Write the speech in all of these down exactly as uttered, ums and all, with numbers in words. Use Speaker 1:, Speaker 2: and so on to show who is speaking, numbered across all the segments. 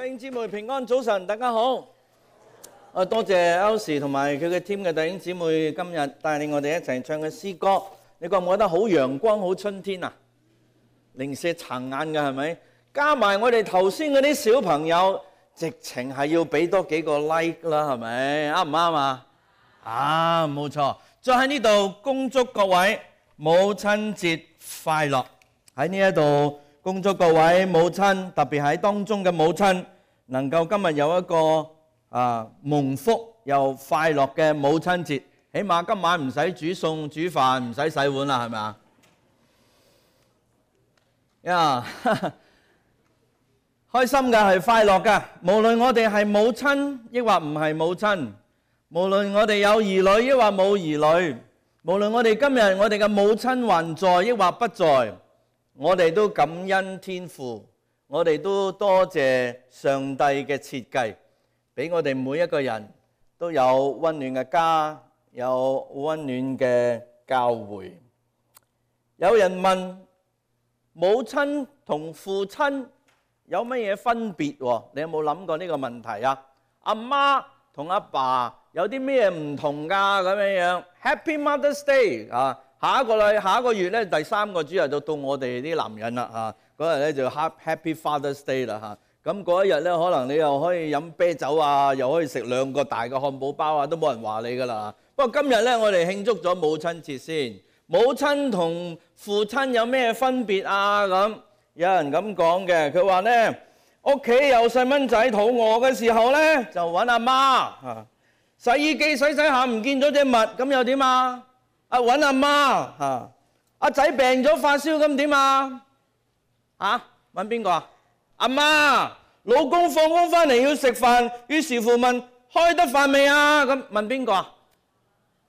Speaker 1: 弟兄姊妹平安，早晨，大家好。啊，多謝 Elsie 同埋佢嘅 team 嘅弟兄姊妹今日帶領我哋一齊唱嘅詩歌，你覺唔覺得好陽光、好春天啊？零舍撐眼嘅係咪？加埋我哋頭先嗰啲小朋友，直情係要俾多幾個 like 啦，係咪？啱唔啱啊？啊，冇錯。再喺呢度恭祝各位母親節快樂。喺呢一度恭祝各位母親，特別喺當中嘅母親，能夠今日有一個啊蒙福又快樂嘅母親節。起碼今晚唔使煮餸煮飯，唔使洗碗啦，係咪啊？呀，開心㗎，係快樂㗎。無論我哋係母親，抑或唔係母親，無論我哋有兒女，抑或冇兒女，無論我哋今日我哋嘅母親還在，抑或不在，我哋都感恩天父，我哋都多謝上帝嘅設計，俾我哋每一個人都有溫暖嘅家，有溫暖嘅教會。有人問母親同父親有乜嘢分別喎？你有冇諗過呢個問題啊？阿媽同阿爸有啲咩唔同㗎？咁樣樣 Happy Mother's Day 啊！下一個禮下一個月咧，第三個主日就到我哋啲男人啦嚇，嗰日咧就 Happy Father's Day 啦嚇。咁嗰一日咧，可能你又可以飲啤酒啊，又可以食兩個大嘅漢堡包啊，都冇人話你㗎啦。不過今日咧，我哋慶祝咗母親節先。母親同父親有咩分別啊？咁有人咁講嘅，佢話咧屋企有細蚊仔肚餓嘅時候咧，就揾阿媽嚇。洗衣機洗洗下唔見咗隻襪，咁又點啊？啊揾阿媽嚇。阿仔病咗發燒，咁點啊？啊揾邊個啊？阿媽。老公放工翻嚟要食飯，於是乎問開得飯未啊？咁問邊個啊？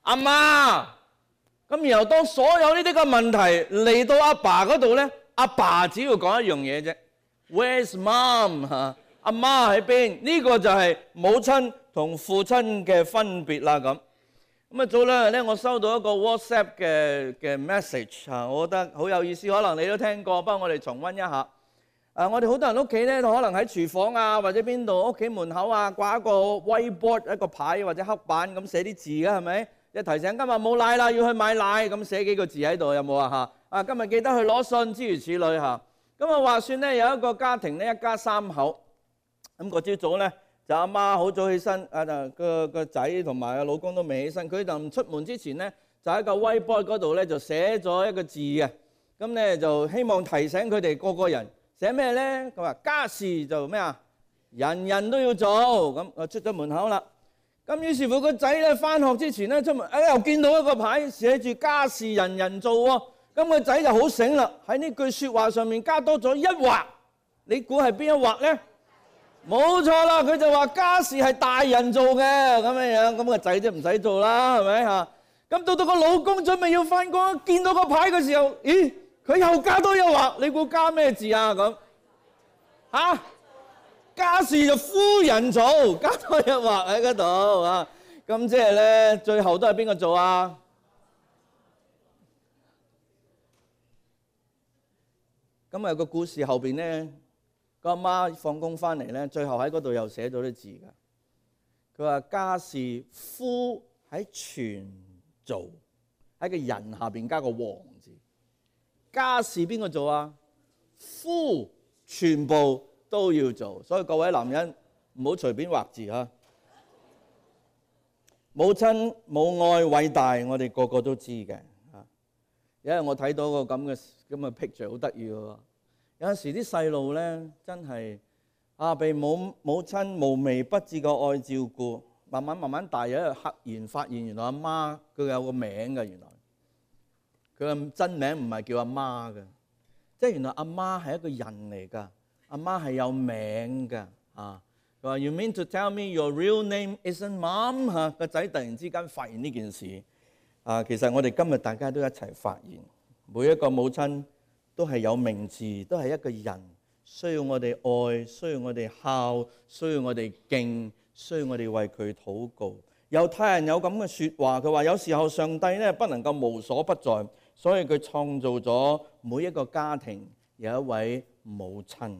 Speaker 1: 阿媽。咁然後當所有呢啲嘅問題嚟到阿爸嗰度咧，阿爸只要講一樣嘢啫 ，Where's mom？ 嚇，阿媽喺邊？呢個就係母親同父親嘅分別啦。咁咁啊，早兩日咧，我收到一個 WhatsApp 嘅嘅 message 嚇，我覺得好有意思，可能你都聽過，不過我哋重溫一下。啊，我哋好多人屋企咧，可能喺廚房啊，或者邊度屋企門口啊，掛一個 whiteboard 一個牌或者黑板咁寫啲字嘅，係咪？一提醒今日冇奶啦，要去買奶，咁寫幾個字喺度，有冇啊？嚇啊！今日記得去攞信，諸如此類嚇。咁啊話説咧，有一個家庭咧，一家三口。咁個朝早咧，就阿媽好早起身，啊個個仔同埋個老公都未起身。佢就出門之前咧，就喺個 whiteboard 嗰度咧，就寫咗一個字嘅。咁咧就希望提醒佢哋個個人寫咩咧？佢話家事就咩啊？人人都要做。咁啊出咗門口啦。咁於是乎個仔咧返學之前咧出門，哎又見到一個牌寫住家事人人做喎。咁個仔就好醒啦，喺呢句説話上面加多咗一畫。你估係邊一畫咧？冇錯啦，佢就話家事係大人做嘅咁樣樣。咁個仔就唔使做啦，係咪嚇？咁到到個老公準備要返工，見到個牌嘅時候，咦？佢又加多一畫。你估加咩字啊？咁嚇？家事就夫人做，加多一畫喺嗰度啊！咁即係咧，最後都係邊個做啊？咁啊個故事後邊咧，個阿媽放工翻嚟咧，最後喺嗰度又寫咗啲字㗎。佢話家事夫喺全做，喺個人下邊加個王字。家事邊個做啊？夫全部都要做，所以各位男人唔好隨便畫字嚇。母親母愛偉大，我哋個個都知嘅嚇。因為我睇到個咁嘅咁嘅 picture 好得意喎。有陣時啲細路咧真係啊，被母母親無微不至嘅愛照顧，慢慢慢慢大，有一日赫然發現原來阿媽佢有個名嘅，原來佢嘅真名唔係叫阿媽嘅，即係原來阿媽係一個人嚟㗎。阿媽係有名㗎啊！佢話 You mean to tell me your real name isn't mom？ 嚇，個仔突然之間發現呢件事啊！其實我哋今日大家都一齊發現，每一個母親都係有名字，都係一個人，需要我哋愛，需要我哋孝，需要我哋敬，需要我哋為佢禱告。猶太人有咁嘅説話，佢話有時候上帝咧不能夠無所不在，所以佢創造咗每一個家庭有一位母親。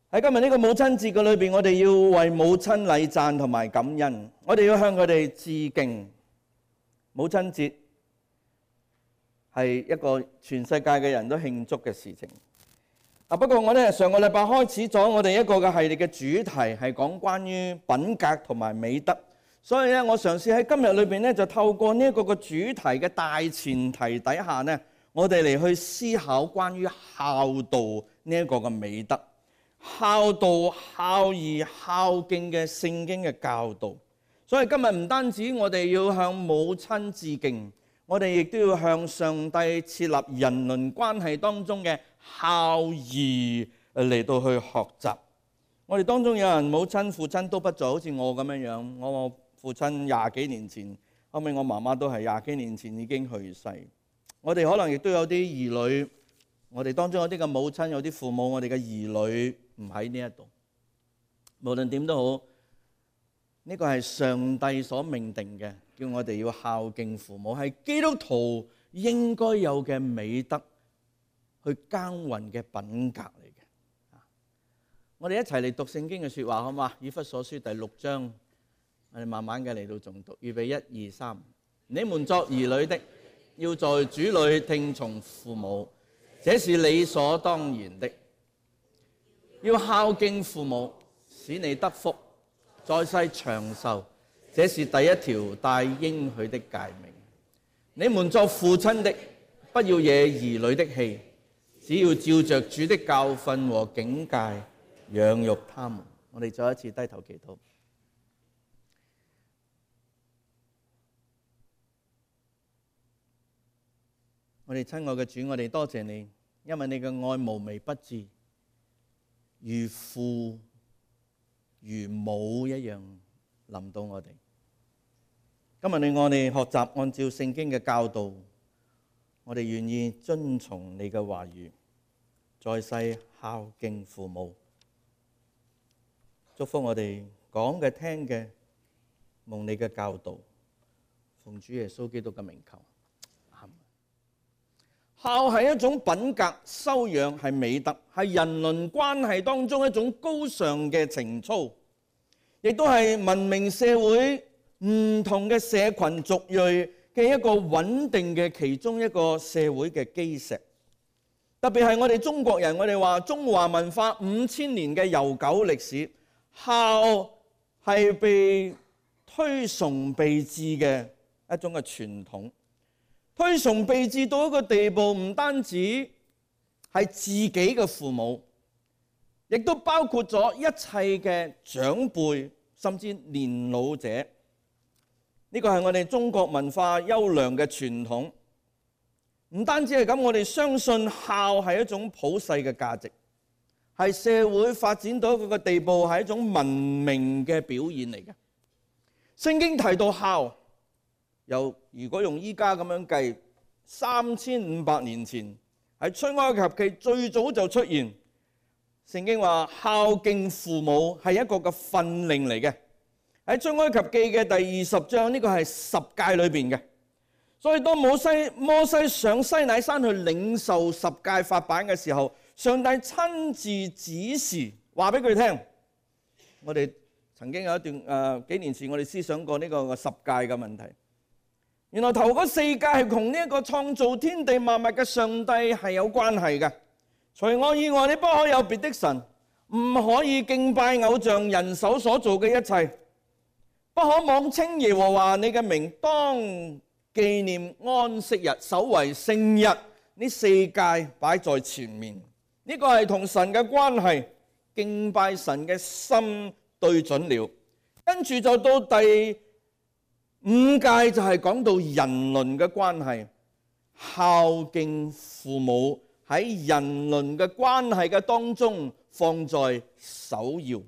Speaker 1: 喺今日呢個母親節嘅裏邊，我哋要為母親禮讚同埋感恩，我哋要向佢哋致敬。母親節係一個全世界嘅人都慶祝嘅事情。啊，不過我哋上個禮拜開始咗我哋一個嘅系列嘅主題係講關於品格同埋美德，所以咧我嘗試喺今日裏邊咧就透過呢一個嘅主題嘅大前提底下呢，我哋嚟去思考關於孝道呢一個嘅美德。孝道、孝義、孝敬嘅聖經嘅教導，所以今日唔單止我哋要向母親致敬，我哋亦都要向上帝設立人倫關係當中嘅孝義嚟到去學習。我哋當中有人母親父親都不在，好似我咁樣樣，我父親廿幾年前，後尾我媽媽都係廿幾年前已經去世。我哋可能亦都有啲兒女，我哋當中有啲嘅母親，有啲父母，我哋嘅兒女唔喺呢一度。無論點都好，呢個係上帝所命定嘅，叫我哋要孝敬父母，係基督徒應該有嘅美德，去耕耘嘅品格嚟嘅。我哋一齊嚟讀聖經嘅說話好嘛？以弗所書第六章，我哋慢慢嘅嚟到誦讀。預備一二三，你們作兒女的，要在主裏聽從父母，這是理所當然的。要孝敬父母，使你得福，在世長壽，這是第一條帶應許的誡命。你們作父親的，不要惹兒女的氣，只要照着主的教訓和警戒養育他們。我哋再一次低頭祈禱。我哋親愛嘅主，我哋多謝你，因為你嘅愛無微不至，如父如母一樣臨到我哋。今日你我哋學習按照聖經嘅教導，我哋願意遵從你嘅話語，在世孝敬父母。祝福我哋講嘅聽嘅，蒙你嘅教導，奉主耶穌基督嘅名求。孝係一種品格修養，係美德，係人倫關係當中一種高尚嘅情操，亦都係文明社會唔同嘅社群族裔嘅一個穩定嘅其中一個社會嘅基石。特別係我哋中國人，我哋話中華文化五千年嘅悠久歷史，孝係被推崇備至嘅一種嘅傳統。推崇備至到一個地步，唔單止係自己嘅父母，亦都包括咗一切嘅長輩，甚至年老者。呢個係我哋中國文化優良嘅傳統。唔單止係咁，我哋相信孝係一種普世嘅價值，係社會發展到一個地步，係一種文明嘅表現嚟嘅。聖經提到孝，由如果用依家咁樣計，三千五百年前喺出埃及記最早就出現。聖經話孝敬父母係一個嘅訓令嚟嘅，喺出埃及記嘅第二十章，呢個係十誡裏邊嘅。所以當摩西摩西上西乃山去領受十誡法版嘅時候，上帝親自指示話俾佢聽。我哋曾經有一段誒、呃、幾年前我哋思想過呢個十誡嘅問題。原來頭嗰四誡係同呢一個創造天地萬物嘅上帝係有關係嘅。除我以外，你不可有別的神，唔可以敬拜偶像，人手所做嘅一切，不可妄稱耶和華你嘅名，當紀念安息日，守為聖日。呢四誡擺在前面，呢、這個係同神嘅關係，敬拜神嘅心對準了。跟住就到第五誡就係講到人倫嘅關係，孝敬父母喺人倫嘅關係嘅當中放在首要，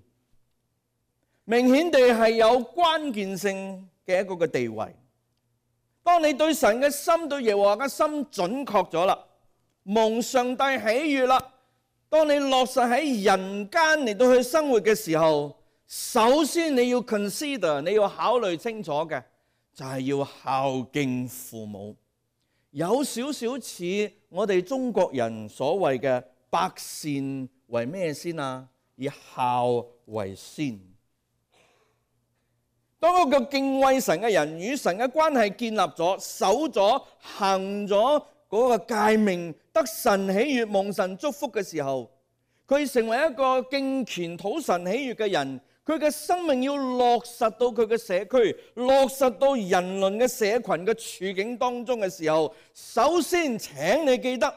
Speaker 1: 明顯地係有關鍵性嘅一個嘅地位。當你對神嘅心、對耶和華嘅心準確咗啦，蒙上帝喜悅啦，當你落實喺人間嚟到去生活嘅時候，首先你要 consider， 你要考慮清楚嘅就係要孝敬父母。有少少似我哋中國人所謂嘅百善為咩先啊？以孝為先。當一個敬畏神嘅人與神嘅關係建立咗、守咗、行咗嗰個誡命，得神喜悅、蒙神祝福嘅時候，佢成為一個敬虔討神喜悅嘅人。佢嘅生命要落實到佢嘅社區，落實到人倫嘅社群嘅處境當中嘅時候，首先請你記得，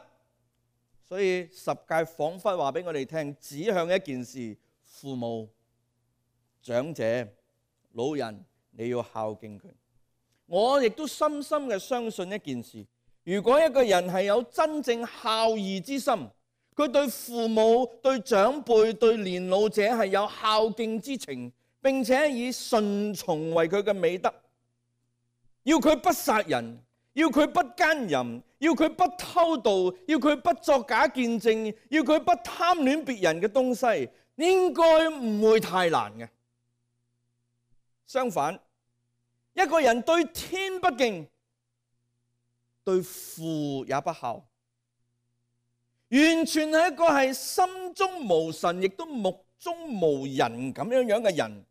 Speaker 1: 所以十誡彷彿話俾我哋聽，指向一件事：父母、長者、老人，你要孝敬佢。我亦都深深嘅相信一件事：如果一個人係有真正孝義之心，佢對父母、對長輩、對年老者係有孝敬之情，並且以順從為佢嘅美德，要佢不殺人，要佢不奸淫，要佢不偷盜，要佢不作假見證，要佢不貪戀別人嘅東西，應該唔會太難嘅。相反，一個人對天不敬，對父也不孝，完全係一個係心中無神，亦都目中無人咁樣樣嘅人，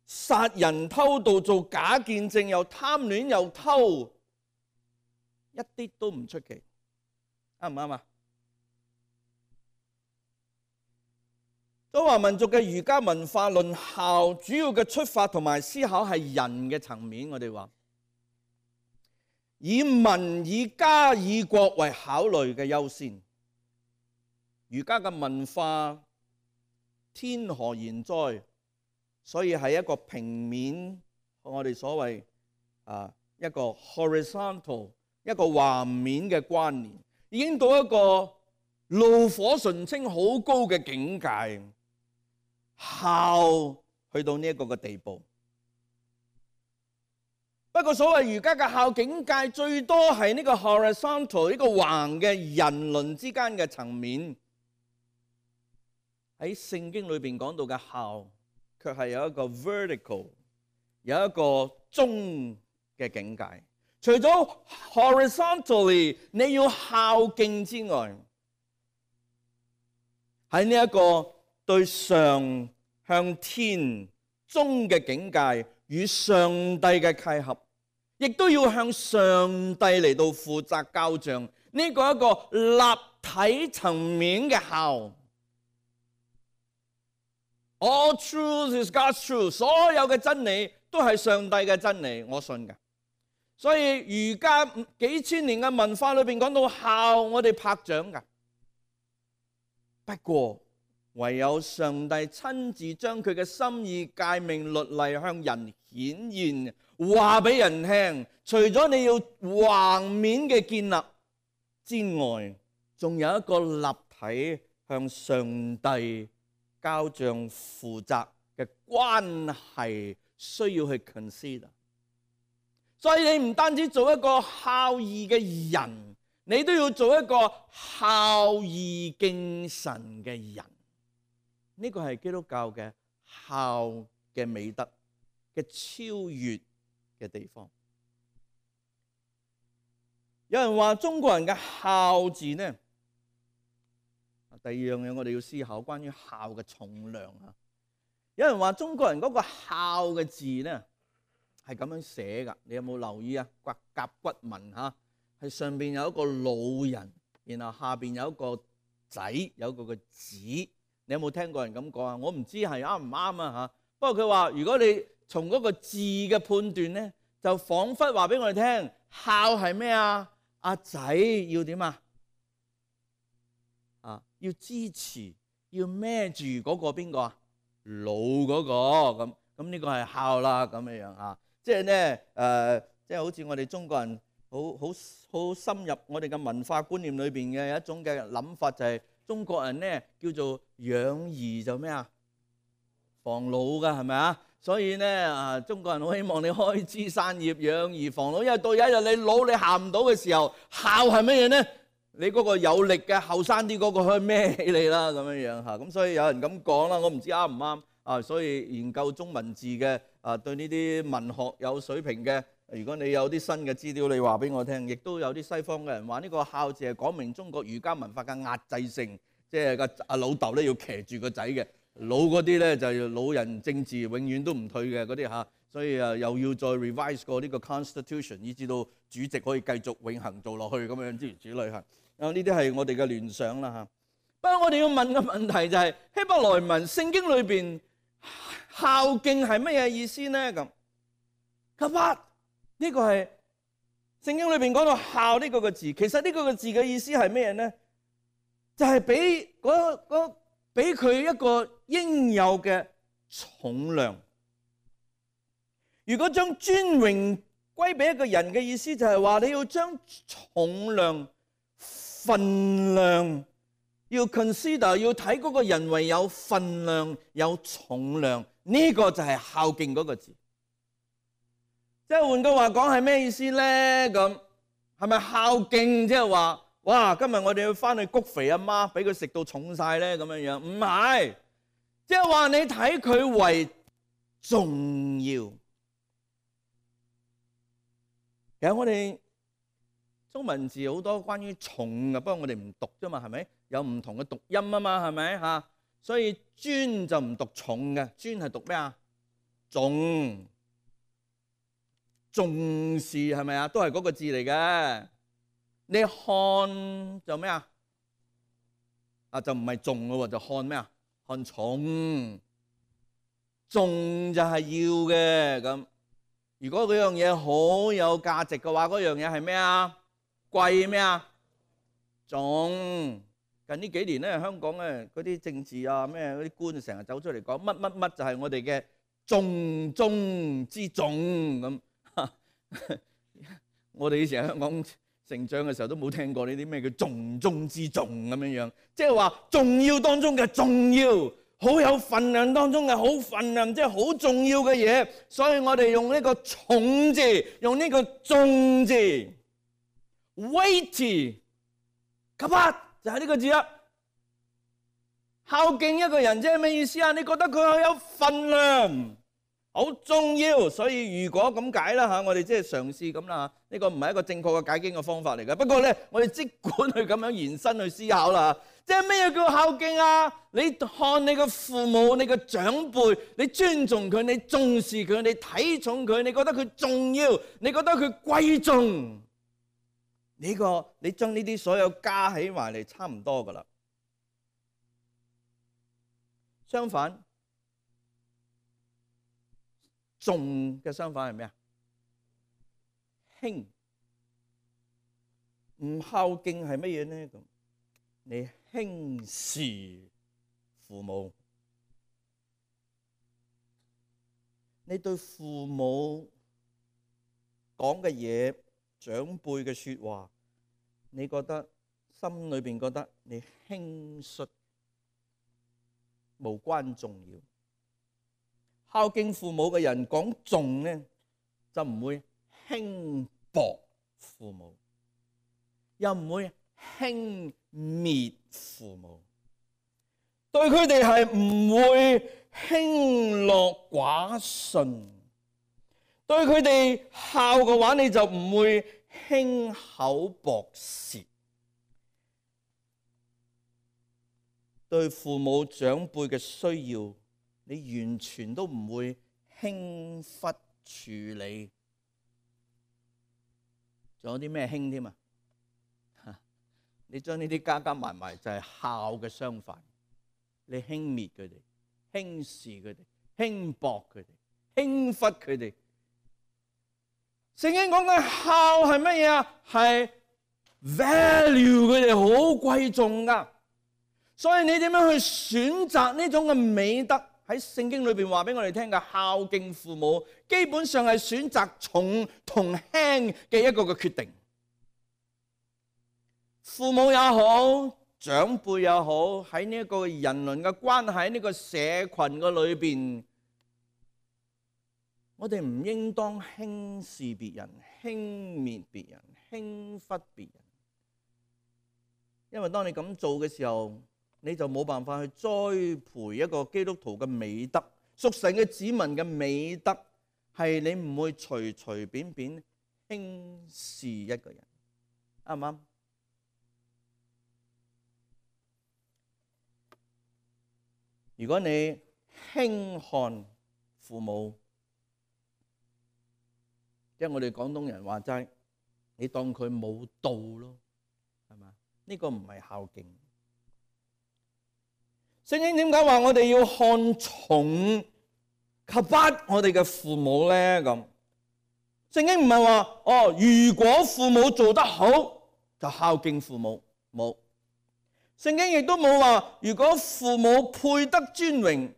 Speaker 1: 殺人偷盜做假見證，又貪戀又偷，一啲都唔出奇，啱唔啱啊？中華民族嘅儒家文化論孝，主要嘅出發同埋思考係人嘅層面。我哋話以民、以家、以國為考慮嘅優先。儒家嘅文化天何言哉？所以係一個平面，我哋所謂啊一個 horizontal 一個橫面嘅關聯，已經到一個爐火純青好高嘅境界，孝去到呢一個嘅地步。不過所謂儒家嘅孝境界，最多係呢個 horizontal 呢個橫嘅人倫之間嘅層面。喺聖經裏邊講到嘅孝，卻係有一個 vertical， 有一個中嘅境界。除咗 horizontally 你要孝敬之外，喺呢一個對上向天中嘅境界與上帝嘅契合，亦都要向上帝嚟到負責交賬。呢個一個立體層面嘅孝。All truth is God's truth， 所有嘅真理都係上帝嘅真理，我信嘅。所以儒家幾千年嘅文化裏邊講到孝，我哋拍掌噶。不過唯有上帝親自將佢嘅心意、誡命、律例向人顯現，話俾人聽。除咗你要橫面嘅建立之外，仲有一個立體向上帝交賬負責嘅關係需要去 consider。所以你唔單止做一個孝義嘅人，你都要做一個孝義敬神嘅人。呢個係基督教嘅孝嘅美德嘅超越嘅地方。有人話中國人嘅孝字呢，第二樣嘢我哋要思考關於孝嘅重量啊。有人話中國人嗰個孝嘅字呢係咁樣寫噶，你有冇留意啊？骨甲骨文吓，係上邊有一個老人，然後下邊有一個仔，有一個個子。你有冇聽過人咁講啊？我唔知係啱唔啱啊吓。不過佢話如果你從嗰個字嘅判斷呢，就仿佛話俾我哋聽，孝係咩啊？阿仔要點啊？啊，要支持，要孭住嗰個邊個啊？老嗰個咁咁呢個係孝啦，咁樣樣啊。即係咧誒，即係好似我哋中國人好好好深入我哋嘅文化觀念裏邊嘅有一種嘅諗法，就係中國人咧叫做養兒就咩啊？防老㗎係咪啊？所以咧啊，中國人好希望你開枝散葉養兒防老，因為到有一日你老你行唔到嘅時候，孝係乜嘢咧？你嗰個有力嘅後生啲嗰個可以孭起你啦，咁樣樣嚇。咁所以有人咁講啦，我唔知啱唔啱啊。所以研究中文字嘅啊，對呢啲文學有水平嘅，如果你有啲新嘅資料，你話俾我聽。亦都有啲西方嘅人話呢個孝字係講明中國儒家文化嘅壓制性，即係個阿老豆咧要騎住個仔嘅。老嗰啲咧就老人政治永遠都唔退嘅嗰啲嚇，所以啊又要再 revise 過呢個 constitution， 以至到主席可以繼續永恆做落去咁樣諸如此類嚇。啊呢啲係我哋嘅聯想啦嚇。不過我哋要問嘅問題就係、是、希伯來文聖經裏邊孝敬係乜嘢意思呢？咁，咁啊呢個係聖經裏邊講到孝呢個個字，其實呢個個字嘅意思係咩呢？就係俾嗰嗰俾佢一個應有嘅重量。如果將尊榮歸俾一個人嘅意思，就係話你要將重量、分量要 consider， 要睇嗰個人為有分量、有重量，呢、這個就係孝敬嗰個字。即係換句話講係咩意思咧？咁係咪孝敬即係話？哇！今日我哋要翻去谷肥阿媽，俾佢食到重晒咧咁樣樣，唔係，即係話你睇佢為重要。其實我哋中文字好多關於重嘅，不過我哋唔讀啫嘛，係咪？有唔同嘅讀音啊嘛，係咪嚇？所以尊就唔讀重嘅，尊係讀咩啊？重，重視係咪啊？都係嗰個字嚟嘅。你看就咩啊？啊就唔係重咯，就看咩啊？看重，重就係要嘅咁。如果嗰樣嘢好有價值嘅話，嗰樣嘢係咩啊？貴咩啊？重。近呢幾年咧，香港咧嗰啲政治啊咩嗰啲官成日走出嚟講乜乜乜就係我哋嘅重中之重咁。我哋以前喺香港成長嘅時候都冇聽過呢啲咩叫重中之重咁樣樣，即係話重要當中嘅重要，好有分量當中嘅好分量，即係好重要嘅嘢。所以我哋用呢個重字，用呢個重字 ，weighty， kappat 就係呢個字啦。孝敬一個人即係咩意思啊？你覺得佢好有分量，好重要，所以如果咁解啦嚇，我哋即係嘗試咁啦嚇，呢個唔係一個正確嘅解經嘅方法嚟嘅。不過咧，我哋即管去咁樣延伸去思考啦。即係咩叫孝敬啊？你看你嘅父母、你嘅長輩，你尊重佢，你重視佢，你睇重佢，你覺得佢重要，你覺得佢貴重，呢個你將呢啲所有加起埋嚟，差唔多噶啦。相反，重嘅相反係咩啊？輕。唔孝敬係乜嘢呢？咁你輕視父母，你對父母講嘅嘢、長輩嘅説話，你覺得心裏邊覺得你輕率，無關重要。孝敬父母嘅人講重呢，就唔會輕薄父母，又唔會輕蔑父母，對佢哋係唔會輕諾寡信，對佢哋孝嘅話，你就唔會輕口薄舌，對父母長輩嘅需要，你完全都唔會輕忽處理。仲有啲咩輕添啊？你將呢啲加加埋埋就係孝嘅相反。你輕蔑佢哋，輕視佢哋，輕薄佢哋，輕忽佢哋。聖經講嘅孝係乜嘢啊？係 value 佢哋，好貴重噶。所以你點樣去選擇呢種嘅美德？喺聖經裏邊話俾我哋聽嘅孝敬父母，基本上係選擇重同輕嘅一個嘅決定。父母也好，長輩也好，喺呢一個人倫嘅關係，呢個社群嘅裏邊，我哋唔應當輕視別人、輕蔑別人、輕忽別人，因為當你咁做嘅時候，你就冇辦法去栽培一個基督徒嘅美德，屬神嘅子民嘅美德，係你唔會隨隨便便輕視一個人，啱唔啱？如果你輕看父母，即係我哋廣東人話齋，你當佢冇道咯，係嘛？呢個唔係孝敬。聖經點解話我哋要看重及不我哋嘅父母咧？咁聖經唔係話哦，如果父母做得好就孝敬父母，冇。聖經亦都冇話如果父母配得尊榮，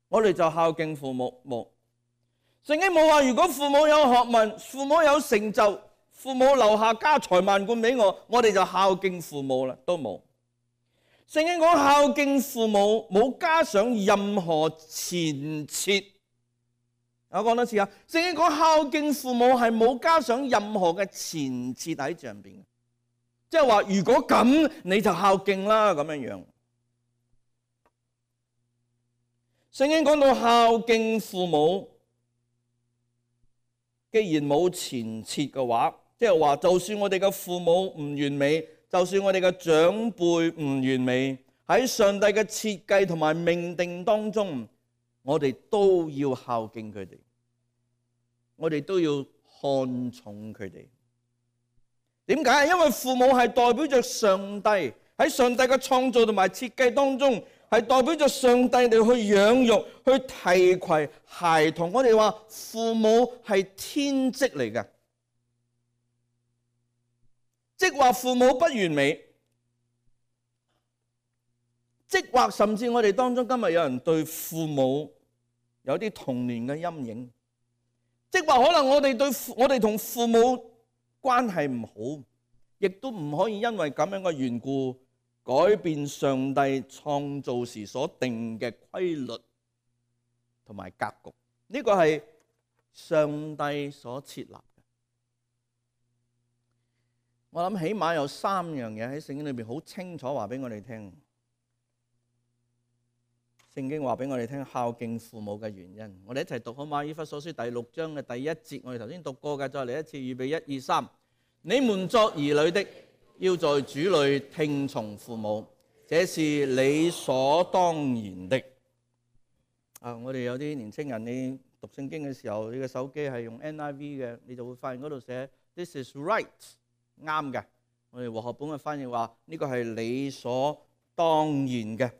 Speaker 1: 我哋就孝敬父母，冇。聖經冇話如果父母有學問、父母有成就、父母留下家財萬貫俾我，我哋就孝敬父母啦，都冇。聖經講孝敬父母冇加上任何前設。我講多次啊，聖經講孝敬父母係冇加上任何嘅前設喺上邊，即係話如果咁你就孝敬啦，咁樣樣。聖經講到孝敬父母，既然冇前設嘅話，即係話就算我哋嘅父母唔完美，就算我哋嘅長輩唔完美，喺上帝嘅設計同埋命定當中，我哋都要孝敬佢哋，我哋都要看重佢哋。點解？因為父母係代表着上帝，喺上帝嘅創造同埋設計當中，係代表着上帝嚟去養育、去提攜孩童。我哋話父母係天職嚟嘅，即話父母不完美，即或甚至我哋當中今日有人對父母有啲童年嘅陰影，即或可能我哋對我哋同父母關係唔好，亦都唔可以因為咁樣嘅緣故改變上帝創造時所定嘅規律同埋格局。呢個係上帝所設立嘅。我諗起碼有三樣嘢喺聖經裏邊好清楚話俾我哋聽。聖經話俾我哋聽孝敬父母嘅原因。我哋一齊讀好嗎？以弗所書第六章嘅第一節，我哋頭先讀過嘅，再嚟一次，預備一二三。你們作兒女的，要在主裏聽從父母，這是理所當然的。啊，我哋有啲年青人，你讀聖經嘅時候，你嘅手機係用 N I V 嘅，你就會發現嗰度寫 This is right， 啱嘅。我哋和合本嘅翻譯話呢個係理所當然嘅。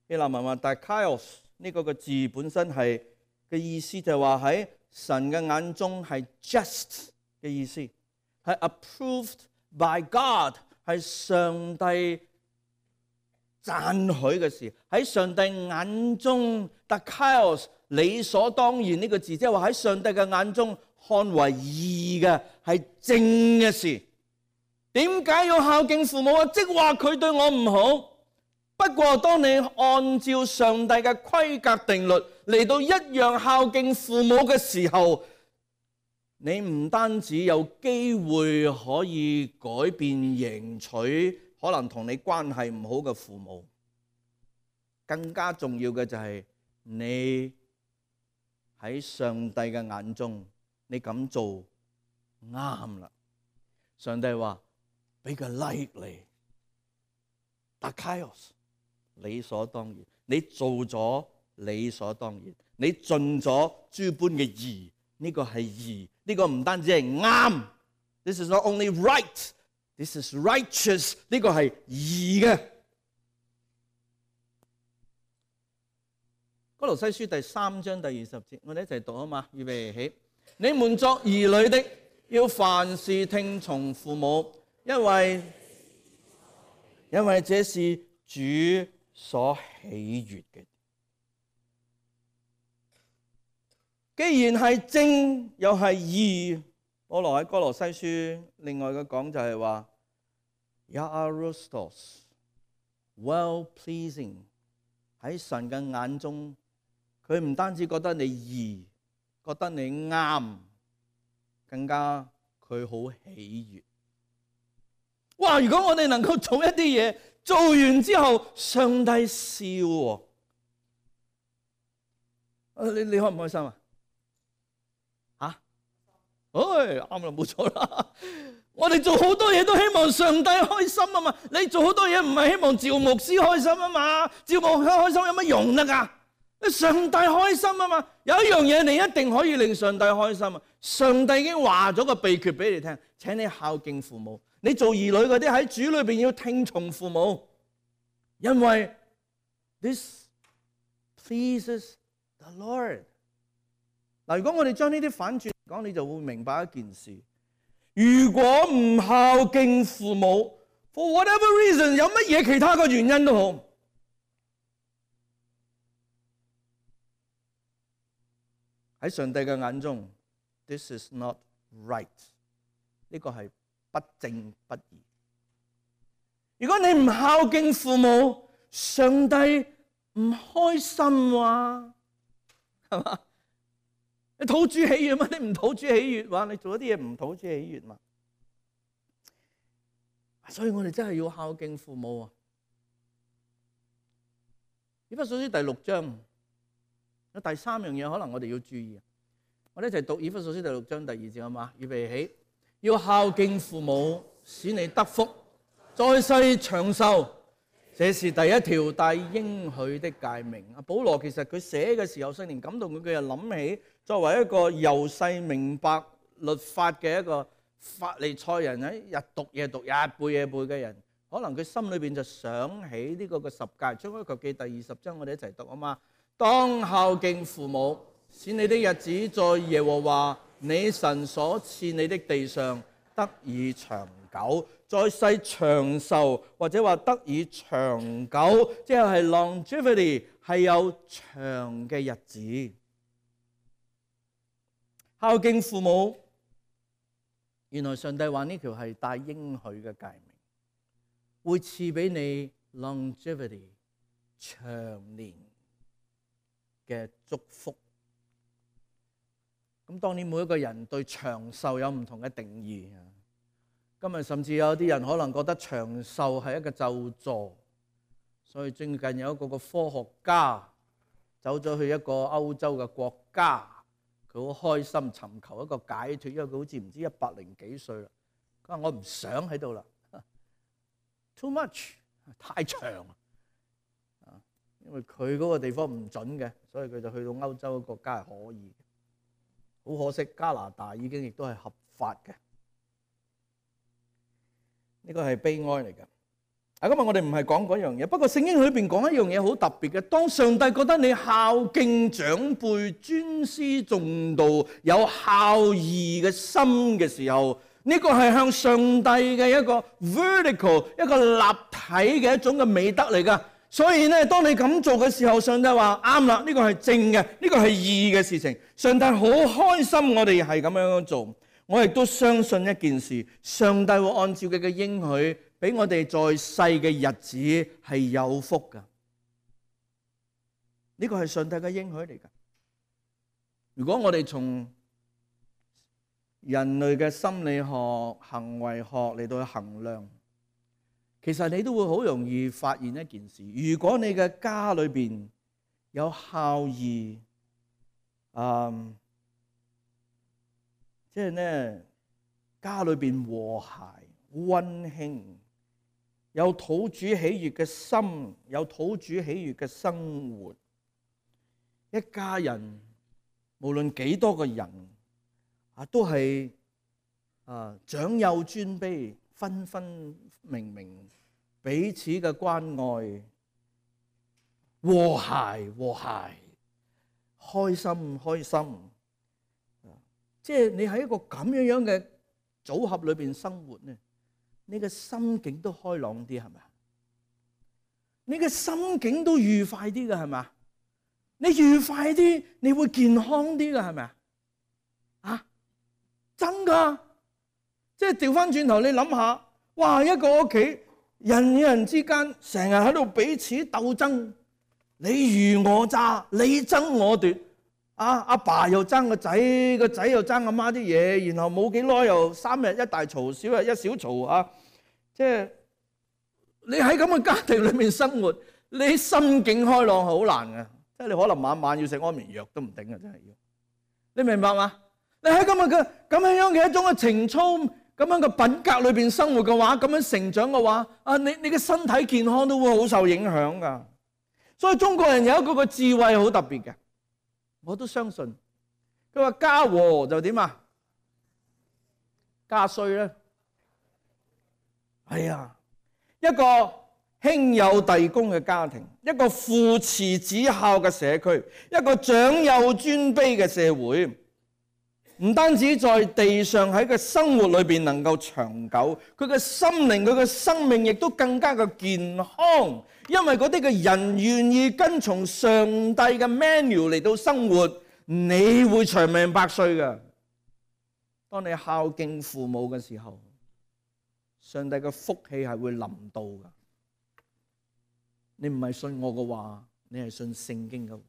Speaker 1: 希臘文話 Dikaios 呢個個字本身係嘅意思就係話喺神嘅眼中係 just 嘅意思，係 approved by God， 係上帝讚許嘅事，喺上帝眼中 Dikaios 理所當然呢個字，即係話喺上帝嘅眼中看為義嘅係正嘅事。點解要孝敬父母啊？即話佢對我唔好。不過，當你按照上帝嘅規格定律嚟到一樣孝敬父母嘅時候，你唔單止有機會可以改變迎娶可能同你關係唔好嘅父母，更加重要嘅就係你喺上帝嘅眼中，你咁做啱啦。上帝話俾個 like 你 Dikaios 理所當然，你做咗理所當然，你盡咗諸般嘅義，呢個係義，呢個唔單止係啱 ，This is not only right, this is righteous， 呢個係義嘅。哥羅西書第三章第二十節，我哋一齊讀啊嘛，預備起。你們作兒女的，要凡事聽從父母，因為因為這是主所喜悅嘅。既然係正又係義，保羅喺哥羅西書另外嘅講就係話 Iaristos well pleasing， 喺神嘅眼中，佢唔單止覺得你義，覺得你啱，更加佢好喜悅。哇！如果我哋能夠做一啲嘢，做完之後上帝笑喎，你你開唔開心啊？嚇，唉，啱啦，冇錯啦。我哋做好多嘢都希望上帝開心啊嘛。你做好多嘢唔係希望趙牧師開心啊嘛？趙牧師開心有乜用得㗎？上帝開心啊嘛。有一樣嘢你一定可以令上帝開心啊。上帝已經話咗個秘訣俾你聽，請你孝敬父母。你做兒女嗰啲喺主裏邊要聽從父母，因為 this pleases the Lord。嗱，如果我哋將呢啲反轉嚟講，你就會明白一件事。如果唔孝敬父母 ，for whatever reason， 有乜嘢其他嘅原因都好，喺上帝嘅眼中 ，this is not right， 呢個係不正不義。如果你唔孝敬父母，上帝唔開心喎，係嘛？你討主喜悅嘛？你唔討主喜悅話，你做一啲嘢唔討主喜悅嘛？所以我哋真係要孝敬父母啊！以弗所書第六章有第三樣嘢，可能我哋要注意。我哋一齊讀以弗所書第六章第二節好嘛？預備起，要孝敬父母，使你得福，在世長壽。這是第一條帶應許的誡命。阿保羅其實佢寫嘅時候，聖靈感動佢，佢又諗起作為一個由細明白律法嘅一個法利賽人，喺日讀夜讀、日背夜背嘅人，可能佢心裏邊就想起呢個嘅十誡。出埃及記第二十章，我哋一齊讀啊嘛。當孝敬父母，使你的日子在耶和華你神所賜你的地上得以長久。在世長壽，或者話得以長久，即係 longevity， 係有長嘅日子。孝敬父母，原來上帝話呢條係帶應許嘅誡命，會賜俾你 longevity 長年嘅祝福。咁當然每一個人對長壽有唔同嘅定義。今日甚至有啲人可能覺得長壽係一個咒詛，所以最近有一個個科學家走咗去一個歐洲嘅國家，佢好開心尋求一個解脫，因為佢好似唔知一百零幾歲啦。佢話我唔想喺度啦 ，too much 太長啊，因為佢嗰個地方唔準嘅，所以佢就去到歐洲嘅國家係可以。好可惜，加拿大已經亦都係合法嘅。呢個係悲哀嚟㗎。啊，今日我哋唔係講嗰樣嘢，不過聖經裏邊講一樣嘢好特別嘅。當上帝覺得你孝敬長輩、尊師重道、有孝義嘅心嘅時候，呢個係向上帝嘅一個 vertical 一個立體嘅一種嘅美德嚟㗎。所以咧，當你咁做嘅時候，上帝話啱啦，呢個係正嘅，呢個係義嘅事情。上帝好開心，我哋係咁樣做。我亦都相信一件事，上帝會按照佢嘅應許，俾我哋在世嘅日子係有福噶。呢個係上帝嘅應許嚟噶。如果我哋從人類嘅心理學、行為學嚟到去衡量，其實你都會好容易發現一件事：如果你嘅家裏邊有孝義，嗯。即係咧，家裏邊和諧溫馨，有討主喜悅嘅心，有討主喜悅嘅生活，一家人無論幾多個人啊，都係啊長幼尊卑，分分明明，彼此嘅關愛，和諧和諧，開心開心。即係你喺一個咁樣樣嘅組合裏邊生活咧，你嘅心境都開朗啲，係咪啊？你嘅心境都愉快啲嘅，係咪啊？你愉快啲，你會健康啲嘅，係咪啊？啊，真噶！即係調翻轉頭，你諗下，哇！一個屋企人與人之間成日喺度彼此鬥爭，你虞我詐，你爭我奪。啊！阿爸又爭個仔，個仔又爭阿媽啲嘢，然後冇幾耐又三日一大嘈，少日一小嘈啊！即係你喺咁嘅家庭裏面生活，你心境開朗好難嘅，即係你可能晚晚要食安眠藥都唔定嘅，真係要。你明白嘛？你喺咁樣嘅咁樣嘅一種嘅情操、咁樣嘅品格裏邊生活嘅話，咁樣成長嘅話，啊，你你嘅身體健康都會好受影響噶。所以中國人有一個個智慧好特別嘅，我都相信。佢話家和就點啊？家衰咧，係啊，一個兄友弟恭嘅家庭，一個父慈子孝嘅社區，一個長幼尊卑嘅社會。唔單止在地上喺個生活裏邊能夠長久，佢嘅心靈、佢嘅生命亦都更加嘅健康，因為嗰啲嘅人願意跟從上帝嘅 menu 嚟到生活，你會長命百歲嘅。當你孝敬父母嘅時候，上帝嘅福氣係會臨到嘅。你唔係信我嘅話，你係信聖經嘅話，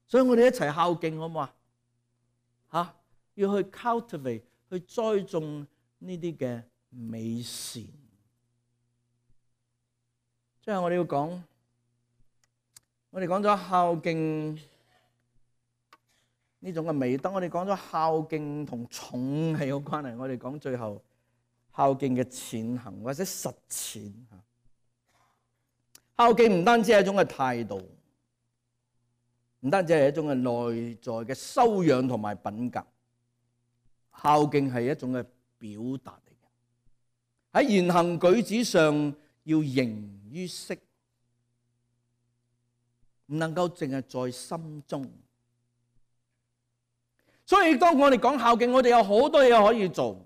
Speaker 1: 所以我哋一齊孝敬好唔好啊？吓，要去 cultivate， 去栽種呢啲嘅美善。最後我哋要講，我哋講咗孝敬呢種嘅美德，我哋講咗孝敬同重係有關係。我哋講最後孝敬嘅踐行或者實踐。孝敬唔單止係一種嘅態度，唔單止係一種嘅內在嘅修養同埋品格，孝敬係一種嘅表達嚟嘅。喺言行舉止上要形於色，唔能夠淨係在心中。所以當我哋講孝敬，我哋有好多嘢可以做。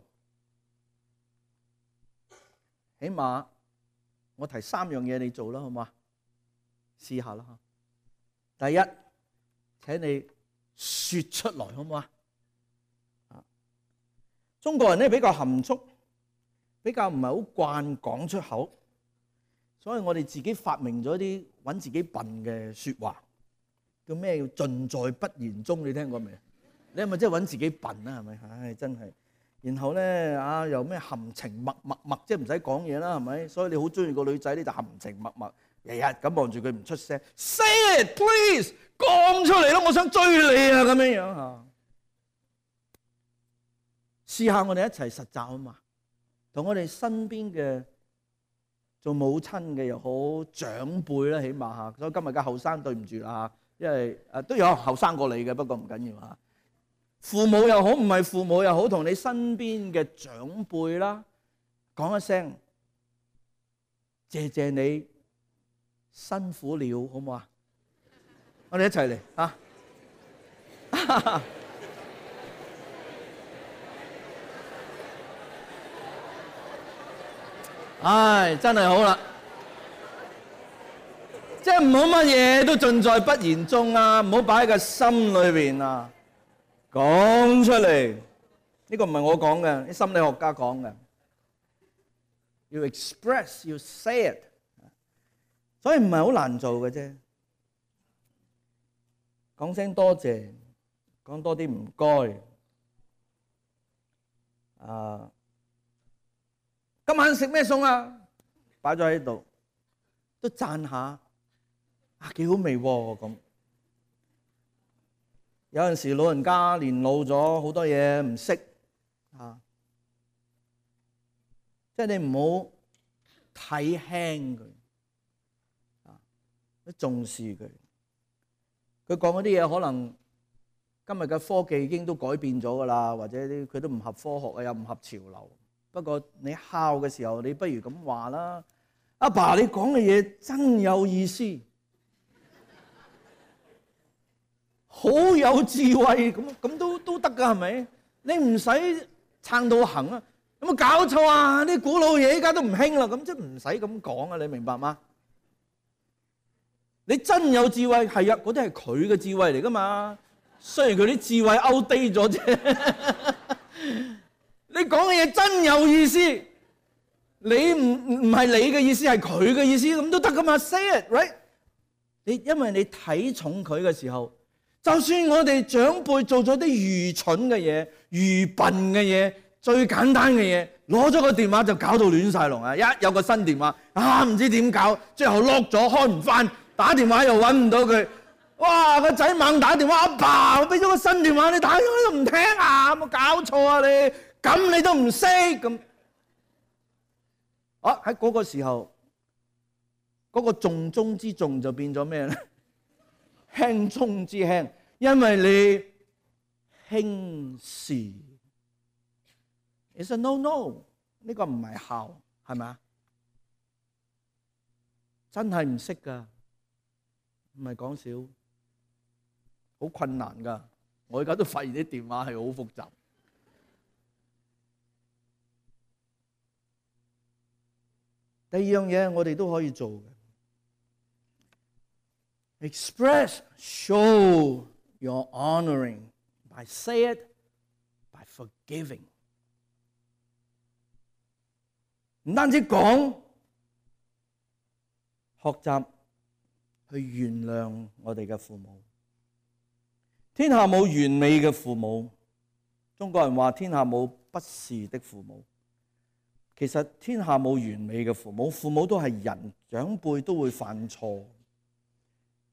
Speaker 1: 起碼我提三樣嘢你做啦，好嘛？試下啦。第一，請你說出來，好唔好啊？中國人咧比較含蓄，比較唔係好慣講出口，所以我哋自己發明咗啲揾自己笨嘅說話，叫咩？叫盡在不言中。你聽過未？你係咪真係揾自己笨啊？係咪？唉，真係。然後咧啊，又咩含情脈脈脈，即係唔使講嘢啦，係咪？所以你好中意個女仔咧，就含情脈脈，日日咁望住佢唔出聲。Say it, please，講出嚟咯，我想追你啊，咁樣樣嚇。試下我哋一齊實習啊嘛，同我哋身邊嘅做母親嘅又好，長輩啦，起碼嚇。所以今日嘅後生對唔住啦，因為誒都有後生過你嘅，不過唔緊要嚇。父母又好，唔係父母又好，同你身邊嘅長輩啦，講一聲謝謝你辛苦了，好唔好啊？我哋一齊嚟啊！唉，真係好啦，即係唔好乜嘢都盡在不言中啊，唔好擺喺個心裏邊啊。講出嚟，呢個唔係我講嘅，啲心理學家講嘅。要 express，要 say it， 所以唔係好難做嘅啫。講聲多謝，講多啲唔該。啊，今晚食咩餸啊？擺咗喺度，都讚下，啊幾好味喎咁。有陣時老人家年老咗，好多嘢唔識啊，即係你唔好睇輕佢啊，都重視佢。佢講嗰啲嘢可能今日嘅科技已經都改變咗噶啦，或者啲佢都唔合科學啊，又唔合潮流。不過你孝嘅時候，你不如咁話啦，阿爸你講嘅嘢真有意思。好有智慧，咁咁都都得噶，係咪？你唔使撐到行啊！有冇搞錯啊？啲古老嘢依家都唔興啦，咁即係唔使咁講啊！你明白嗎？你真有智慧，係啊，嗰啲係佢嘅智慧嚟噶嘛。雖然佢啲智慧 outdate 咗啫。你講嘅嘢真有意思，你唔唔係你嘅意思，係佢嘅意思，咁都得噶嘛 ？Say it, right？ 你因為你睇重佢嘅時候。就算我哋長輩做咗啲愚蠢嘅嘢、愚笨嘅嘢、最簡單嘅嘢，攞咗個電話就搞到亂晒龍啊！一有個新電話啊，唔知點搞，最後 lock 咗開唔翻，打電話又揾唔到佢，哇！個仔猛打電話，阿爸，我俾咗個新電話你打，你都唔聽啊！有冇搞錯啊你？咁你都唔識咁？啊！喺嗰個時候，嗰個重中之重就變咗咩咧？輕中之輕，因為你輕視。It's a no no， 呢個唔係孝，係咪啊？真係唔識噶，唔係講笑，好困難噶。我而家都發現啲電話係好複雜。第二樣嘢我哋都可以做嘅。Express, show your honoring by say it, by forgiving。唔單止講，學習去原諒我哋嘅父母。天下冇完美嘅父母，中國人話天下冇不是的父母。其實天下冇完美嘅父母，父母都係人，長輩都會犯錯。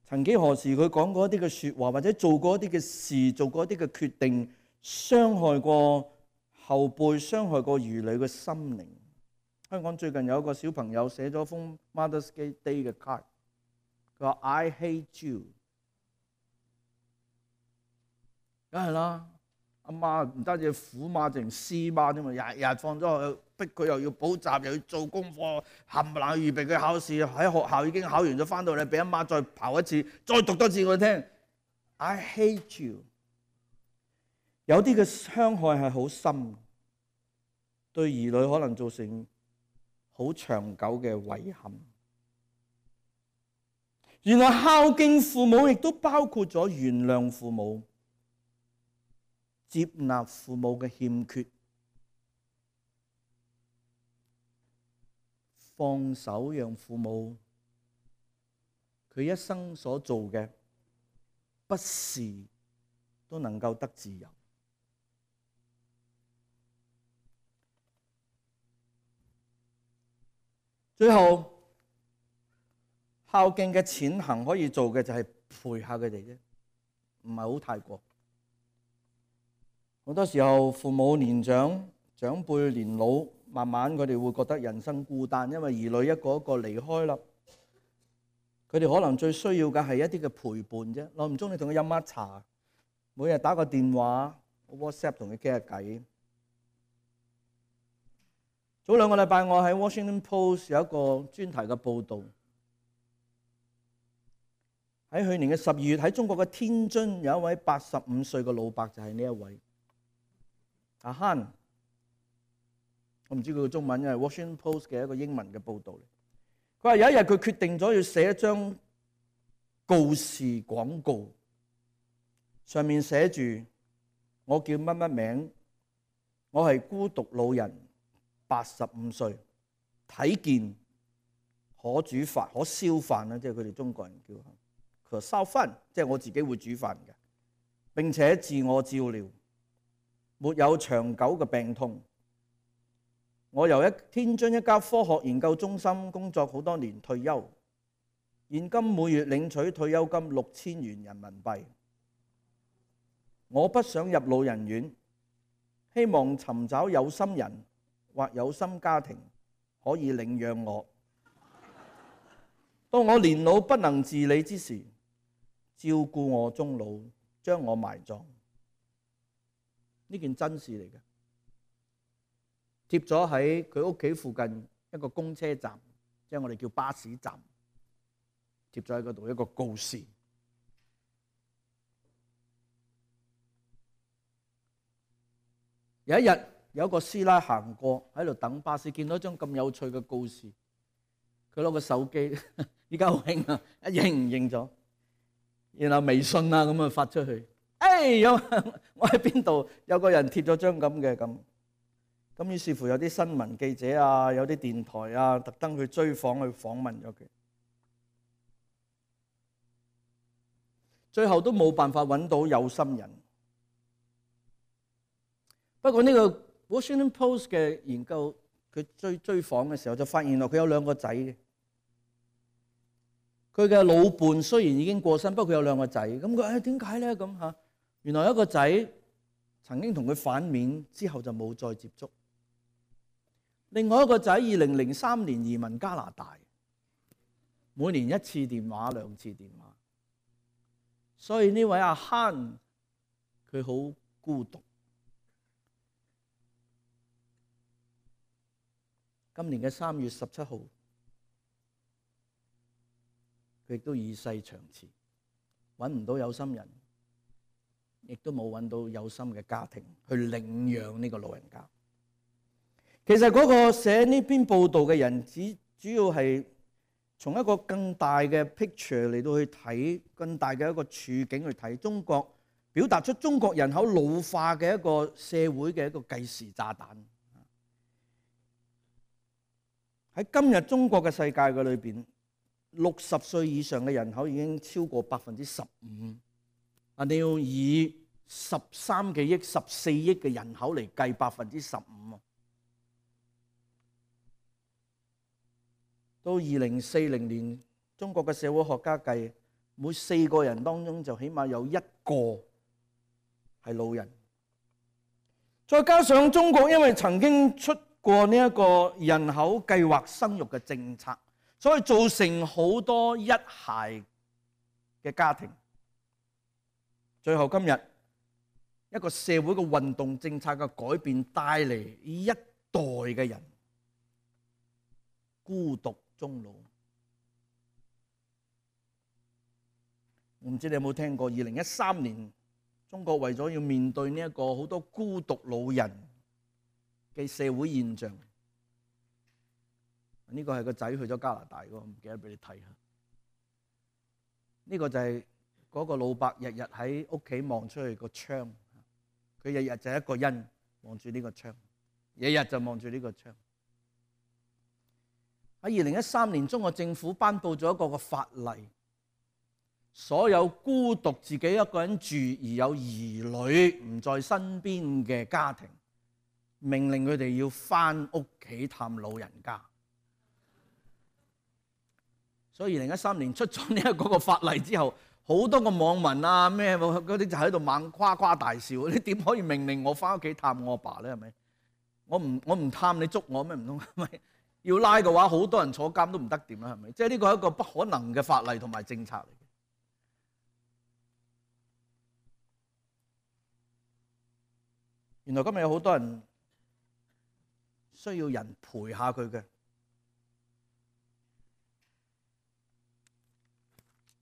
Speaker 1: 曾幾何時佢講過一啲嘅說話，或者做過一啲嘅事，做過一啲嘅決定，傷害過後輩，傷害過兒女嘅心靈。香港最近有一個小朋友寫咗封 Mother's Day 嘅 card， 佢話 I hate you。梗係啦，阿媽唔單止苦媽，淨師媽啫嘛，日日放咗去，逼佢又要補習，又要做功課，冚唪唥預備佢考試。喺學校已經考完咗，翻到嚟俾阿媽再刨一次，再讀多次我聽。I hate you。有啲嘅傷害係好深，對兒女可能造成好長久嘅遺憾。原來孝敬父母亦都包括咗原諒父母，接納父母嘅欠缺，放手讓父母佢一生所做嘅不是都能夠得自由。最後，孝敬嘅淺行可以做嘅就係陪下佢哋啫，唔係好太過。好多時候父母年長，長輩年老，慢慢佢哋會覺得人生孤單，因為兒女一個一個離開啦。佢哋可能最需要嘅係一啲嘅陪伴啫。耐唔中你同佢飲下茶，每日打個電話 WhatsApp 同佢傾下偈。早兩個禮拜我喺 Washington Post 有一個專題嘅報導，喺去年嘅十二月喺中國嘅天津有一位八十五歲嘅老伯，就係呢一位阿慳。我唔知佢嘅中文，因為 Washington Post 嘅一個英文嘅報導嚟。佢話有一日佢決定咗要寫一張告示廣告，上面寫住我叫乜乜名，我係孤獨老人，八十五歲，睇見可煮飯可燒飯啦，即係佢哋中國人叫可燒飯，即係我自己會煮飯嘅，並且自我照料，沒有長久嘅病痛。我由一天津一家科學研究中心工作好多年，退休，現今每月領取退休金六千元人民幣。我不想入老人院，希望尋找有心人或有心家庭可以領養我。當我年老不能自理之時，照顧我終老，將我埋葬。呢件真事嚟嘅。貼咗喺佢屋企附近一個公車站，即係我哋叫巴士站，貼咗喺嗰度一個告示。有一日有一個師奶行過喺度等巴士，見到一張咁有趣嘅告示，佢攞個手機，依家好興啊，一認唔認咗，然後微信啊咁啊發出去，誒有我喺邊度有個人貼咗張咁嘅咁。咁於是乎有啲新聞記者啊，有啲電台啊，特登去追訪去訪問咗佢，最後都冇辦法揾到有心人。不過呢個 Washington Post 嘅研究，佢追追訪嘅時候就發現到佢有兩個仔嘅，佢嘅老伴雖然已經過身，不過佢有兩個仔。咁佢誒點解咧？咁嚇，原來一個仔曾經同佢反面，之後就冇再接觸。另外一個仔二零零三年移民加拿大，每年一次電話兩次電話，所以呢位阿慳佢好孤獨。今年嘅三月十七號。佢亦都與世長辭，揾唔到有心人，亦都冇揾到有心嘅家庭去領養呢個老人家。其實嗰個寫呢篇報道嘅人，只主要係從一個更大嘅 picture 嚟到去睇，更大嘅一個處境去睇中國，表達出中國人口老化嘅一個社會嘅一個計時炸彈。喺今日中國嘅世界嘅裏邊，六十歲以上嘅人口已經超過百分之十五。啊，你要以十三幾億、十四億嘅人口嚟計百分之十五。到二零四零年，中國嘅社會學家計，每四個人當中就起碼有一個係老人。再加上中國因為曾經出過呢一個人口計劃生育嘅政策，所以造成好多一孩嘅家庭。最後今日一個社會嘅運動政策嘅改變，帶嚟一代嘅人孤獨終老。我唔知你有冇聽過，二零一三年中國為咗要面對呢一個好多孤獨老人嘅社會現象，呢個係個仔去咗加拿大嗰個，唔記得俾你睇下。呢個就係嗰個老伯日日喺屋企望出去個窗，佢日日就一個人望住呢個窗，日日就望住呢個窗。喺二零一三年，中國政府頒布咗一個個法例，所有孤獨自己一個人住而有兒女唔在身邊嘅家庭，命令佢哋要返屋企探老人家。所以二零一三年出咗呢一個個法例之後，好多個網民啊咩嗰啲就喺度猛誇誇大笑。你點可以命令我返屋企探我阿爸咧？係咪？我唔我唔探你捉我咩？唔通係咪？要拉嘅話，好多人坐監都唔得掂啦，係咪？即係呢個係一個不可能嘅法例同埋政策嚟嘅。原來今日有好多人需要人陪下佢嘅。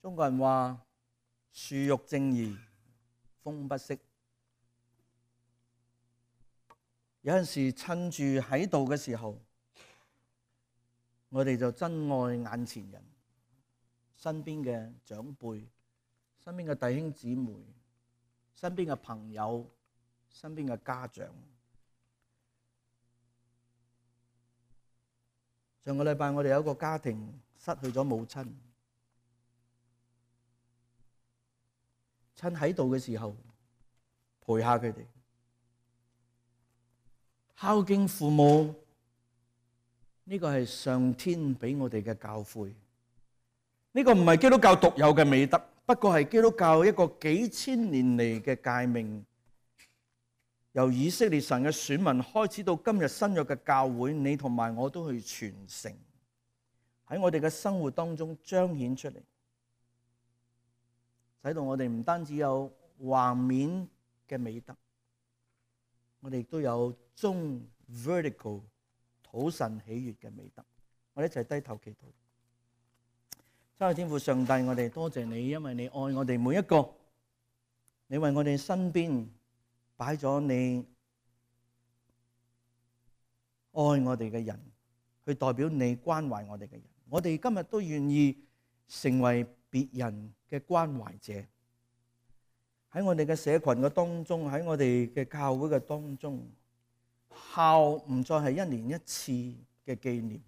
Speaker 1: 中國人話樹欲靜而風不息，有陣時趁住喺度嘅時候，我哋就珍愛眼前人，身邊嘅長輩，身邊嘅弟兄姊妹，身邊嘅朋友，身邊嘅家長。上個禮拜我哋有一個家庭失去咗母親，趁喺度嘅時候陪下佢哋，孝敬父母。呢個係上天俾我哋嘅教誨，呢個唔係基督教獨有嘅美德，不過係基督教一個幾千年嚟嘅誡命，由以色列神嘅選民開始到今日新約嘅教會，你同埋我都去傳承，喺我哋嘅生活當中彰顯出嚟，使到我哋唔單止有橫面嘅美德，我哋亦都有中 vertical。討神喜悅嘅美德，我哋一齊低頭祈禱。親愛天父上帝，我哋多謝你，因為你愛我哋每一個，你為我哋身邊擺咗你愛我哋嘅人，去代表你關懷我哋嘅人。我哋今日都願意成為別人嘅關懷者，喺我哋嘅社群嘅當中，喺我哋嘅教會嘅當中。孝唔再係一年一次嘅紀念，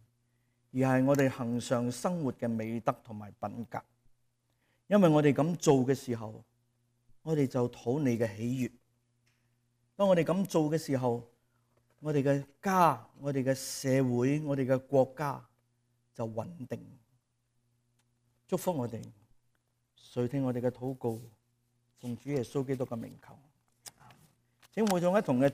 Speaker 1: 而係我哋恆常生活嘅美德同埋品格。因為我哋咁做嘅時候，我哋就討你嘅喜悅。當我哋咁做嘅時候，我哋嘅家、我哋嘅社會、我哋嘅國家就穩定。祝福我哋，垂聽我哋嘅禱告，奉主耶穌基督嘅名求。請會眾一同嘅